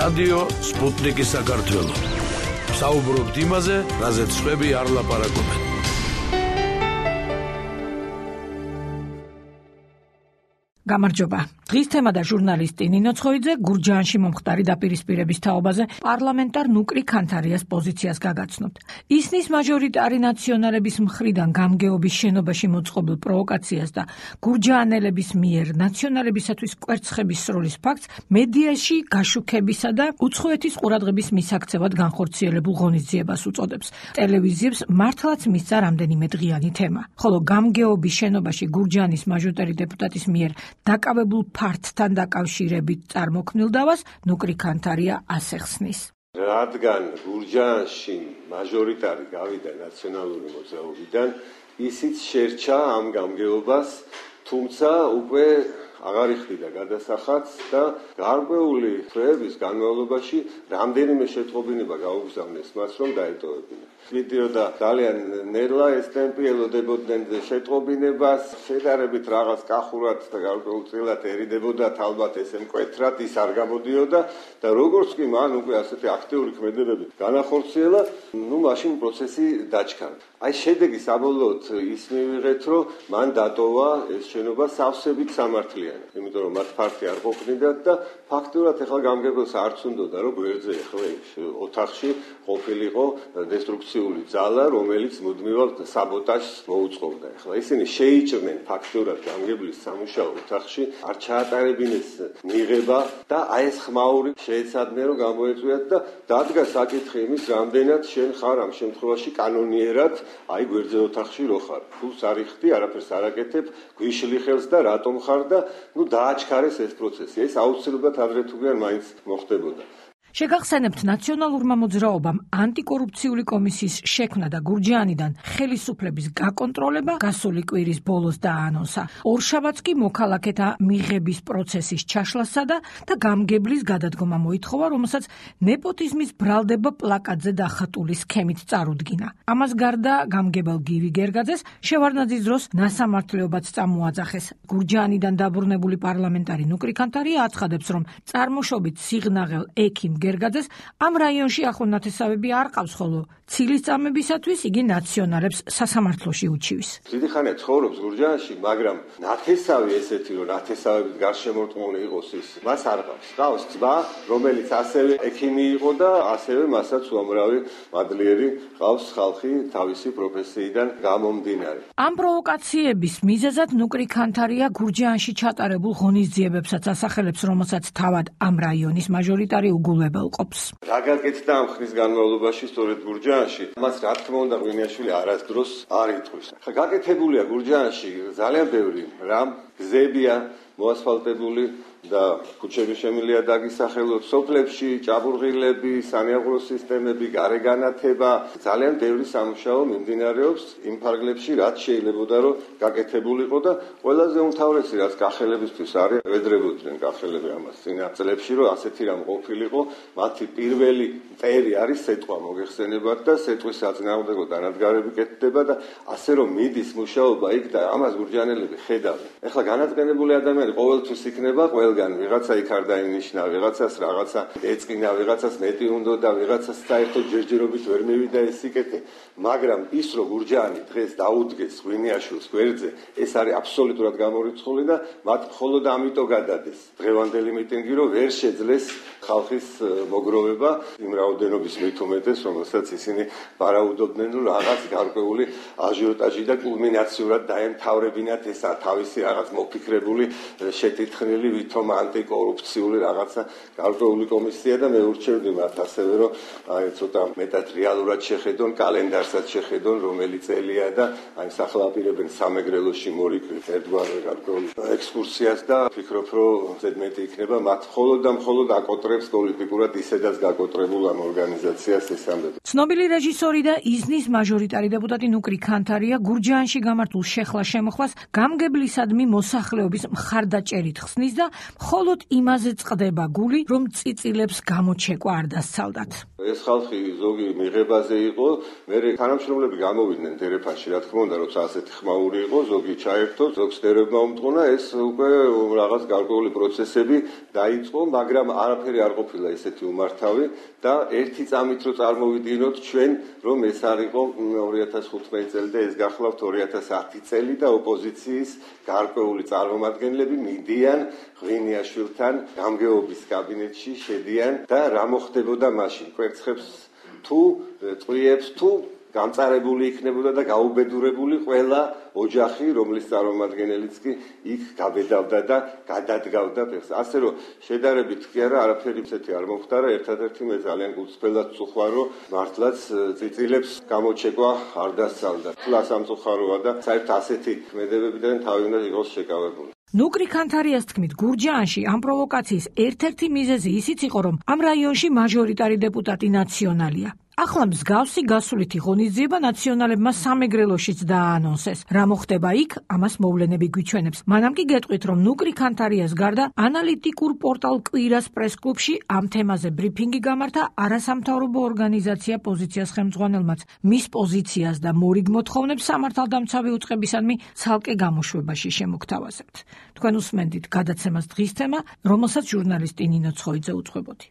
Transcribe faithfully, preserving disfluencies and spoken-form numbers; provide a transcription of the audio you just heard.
რადიო სპუტნიკი საქართველო. საუბრობთ იმაზე, რაზეც სხვები არ ლაპარაკობენ. გამარჯობა. დღის თემა და ჟურნალისტი ნინო ცხოიძე გურჯაანში მომხდარი დაპირისპირების თაობაზე პარლამენტარ ნუკრი ქანთარიას პოზიციას გაგაცნობთ. ისნის მაჟორიტარი ნაციონალების მხრიდან გამგეობის შენობაში მოწყობილ პროვოკაციას და გურჯაანელების მიერ ნაციონალებისათვის კვერცხების სროლის ფაქტს მედიაში გაშუქებისა და უცხოეთის ყურადღების მისაქცევად განხორციელებულ ღონისძიებას უწოდებს. ტელევიზიებს მართლაც მისცა რამდენიმე დღიანი თემა. ხოლო გამგეობის შენობაში გურჯაანის მაჟორიტარი დეპუტატის მიერ დაკავებულ ფართთან დაკავშირებით წარმოქმნილ დავას ნუკრი ქანთარია ასე ხსნის. რადგან გურჯაანში მაჟორიტარი გავიდა ნაციონალური მოძრაობიდან, ისიც შერჩა ამ გამგეობას, თუმცა უკვე აღარ იხდიდა გადასახადს და გარკვეული თვეების განმავლობაში რამდენიმე შეტყობინება გაუგზავნეს მას, რომ დაეტოვებინა. მიდიოდა ძალიან ნელა ეს ტემპი ელოდებოდნენ შეტყობინებას, შედარებით რაღაც კახურად და გარკვეულწილად ერიდებოდათ, ალბათ ესე მკვეთრად ის არ გამოდიოდა და როგორც კი მან უკვე ასეთი აქტიური ქმედებები განახორციელა, ნუ მაშინ პროცესი დაჩქარა. აი შედეგი საბოლოოდ ის მივიღეთ, რომ მან დატოვა ეს შენობა სავსებით სამართლიანი, იმიტომ რომ მათ ფართი არ ყოფნიდათ და ფაქტურად ეხლა გამგებელს არც უნდოდა, რომ გვერდზე ეხლა ოთახში ყოფილიყო დესტრუქციული ძალა, რომელიც მუდმივად საბოტაჟს მოუწყობდა. ეხლა ისინი შეიჭრნენ ფაქტურად გამგებლის სამუშაო ოთახში, არ ჩაატარებინეს მიღება და აი ეს ხმაური შეეცადნენ, რომ გამოეწვიათ და დადგა საკითხი იმის, რამდენად შენ ხარ ამ შემთხვევაში კანონიერად აი გვერდზე ოთახში რო ხარ. ფულს არ იხდი, არაფერს არ აკეთებ, გვიშლი ხელს და რატომ ხარ და ნუ დააჩქარეს ეს პროცესი. ეს აუცილებლად ადრე თუ გიან მაინც მოხდებოდა. შეგახსენებთ ნაციონალურმა მოძრაობამ ანტიკორუფციული კომისიის შექმნა და გურჯაანიდან ხელისუფლების გაკონტროლება გასული კვირის ბოლოს დააანონსა. ორშაბათს კი მოქალაქეთა მიღების პროცესის ჩაშლასა და გამგებლის გადადგომა მოითხოვა, რომელსაც ნეპოტიზმის ბრალდება პლაკატზე დახატული სქემით წარუდგინა. ამას გარდა გამგებელ გივი გერგაძეს შევარდნაძის დროს ნასამართლეობაც წამოაძახეს. გურჯაანიდან დაბრუნებული პარლამენტარი ნუკრი ქანთარია აცხადებს, რომ წარმოშობით სიღნაღელ ექიმ გერგაძეს ამ რაიონში ახლო ნათესავები არ ყავს, ხოლო ცილის წამებისათვის იგი ნაციონალებს სასამართლოში უჩივის. დიდი ხანია ცხოვრობს გურჯაანში, მაგრამ ნათესავი ესეთი, რომ ნათესავებით გარშემორტყმული იყოს ის, მას არ ყავს. ყავს ძმა, რომელიც ასევე ექიმი იყო და ასევე მასაც უამრავი მადლიერი ყავს ხალხი თავისი პროფესიიდან გამომდინარე. ამ პროვოკაციების მიზეზად ნუკრი ქანთარია გურჯაანში ჩატარებულ ღონისძიებებსაც ასახელებს, რომელსაც თავად ამ რაიონის მაჟორიტარი უგულებელ ყოფს. რა გაკეთდა ამ ხნის განმავლობაში სწორედ გურჯაანში? მას რა თქმა უნდა ღვინიაშვილი არასდროს არ იტყვის. ხა გაკეთებულია გურჯაანში ძალიან ბევრი რამ, გზებია მოასფალტებული და ქუჩები შემილია დაგისახელოთ, სოფლებში ჭაბურღილები, სანიაღრო სისტემები, გარეგანათება, ძალიან ბევრი სამუშაო მიმდინარეობს იმ ფარგლებში, რაც შეიძლებოდა რომ გაკეთებულიყო და ყველაზე უმთავრესი რაც კახელებისთვის არის, ევედრებოდნენ კახელები ამას წინა წლებში, რომ ასეთი რამ ყოფილიყო, მათი პირველი წერი არის სეტყვა მოგეხსენებათ და სეტყვის საწინააღმდეგო დანადგარები კეთდება და ასე რომ მიდის მუშაობა იქ და ამას გურჯაანელები ხედავენ. ეხლა განაწყენებული ადამიანი ყოველთვის იქნება ყველგან ვიღაცა იქ არ დაინიშნა, ვიღაცას რაღაცა ეწყინა, ვიღაცას მეტი უნდა და ვიღაცას საერთოდ ჯერჯერობით ვერ მივიდა ეს სიკეთე, მაგრამ ის რომ გურჯაანი დღეს დაუდგეს ღვინიაშვილს გვერდზე, ეს არის აბსოლუტურად გამორიცხული და მათ მხოლოდ ამიტომ გადადეს დღევანდელი მიტინგი, რომ ვერ შეძლეს ხალხის მოგროვება იმ რაოდენობის მით უმეტეს, რომელსაც ისინი ვარაუდობდნენ, რომ რაღაც გარკვეული აჟიოტაჟი და კულმინაციურად დაემთავრებინათ ეს თავისი რაღაც მოფიქრებული შეთითხნილი ვითომ ანტიკორუფციული რაღაცა გარკვეული კომისია და მე ურჩევდი მათ ასევე, რომ აი ცოტა მეტად რეალურად შეხედონ, კალენდარსაც შეხედონ, რომელი წელია და აი სახელაპირებენ სამეგრელოში მორიკლით ერთგვარ გარკვეულ ექსკურსიას და ფიქრობ, რომ ზედმეტი იქნება მათ მხოლოდ და მხოლოდ აკოტრებს პოლიტიკურად ისედაც გაკოტრებულ ამ ორგანიზაციას ეს ამბები. ცნობილი რეჟისორი და ისნის მაჟორიტარი დეპუტატი ნუკრი ქანთარია გურჯაანში გამართულ შეხლა-შემოხლას გამგებლისადმი მოსახლეობის მხარდ მხარდაჭერით ხსნის და მხოლოდ იმაზე წყდება გული, რომ წიწილებს გამოჩეკვა არ დასცალდათ. ეს ხალხი ზოგი მიღებაზე იყო, მერე თანამშრომლები გამოვიდნენ დერეფანში, რა თქმა უნდა, როცა ასეთი ხმაური იყო, ზოგი ჩაერთო, ზოგს დერებმა უმტყუნა, ეს უკვე რაღაც გარკვეული პროცესები დაიწყო, მაგრამ არაფერი არ ყოფილა ესეთი უმართავი და ერთი წამით რო წარმოვიდგინოთ ჩვენ, რომ ეს არ იყო ორი ათას ხუთმეტი წელი და ეს გახლავთ ორი ათას ათი წელი და ოპოზიციის გარკვეული წარმომადგენლები მიდიან ღვინიაშვილთან გამგეობის კაბინეტში შედიან და რა მოხდებოდა მაშინ კვერცხებს თუ წვიებს თუ გამწარებული იქნებოდა და გაუბედურებული ყველა ოჯახი, რომლის წარმომადგენელიც კი იქ გაბედავდა და გადადგავდა ფეხს. ასე რომ შედარებით კი არა, არაფერი ისეთი არ მომხდარა, ერთადერთი მე ძალიან გულწრფელად ვწუხვა, რომ მართლაც წიწილებს გამოჩეკვა არ დასცალდა. თლა სამწუხაროა და საერთოდ ასეთი ქმედებებიდან თავი უნდა იყოს შეკავებული. ნუკრი ქანთარიას თქმით, გურჯაანში ამ პროვოკაციის ერთ-ერთი მიზეზი ისიც იყო, რომ ამ რაიონში მაჟორიტარი დეპუტატი ნაციონალია. ახლა მსგავსი გასულითი ღონისძიება ნაციონალებმა სამეგრელოშიც დააანონსეს. რა მოხდება იქ, ამას მოვლენები გვიჩვენებს. მანამ კი გეტყვით, რომ ნუკრი ქანთარიას გარდა ანალიტიკურ პორტალ კვირას პრეს-კლუბში ამ თემაზე ბრიფინგი გამართა არასამთავრობო ორგანიზაცია პოზიციას ხელმძღვანელმაც. მის პოზიციას და მორიგ მოთხოვნებს სამართალდამცავი უწყებისადმი ცალკე გამოშვებაში შემოგთავაზებთ. თქვენ უსმენდით გადაცემას დღის თემა, რომელსაც ჟურნალისტი ნინო ცხოიძე უძღვებოდი.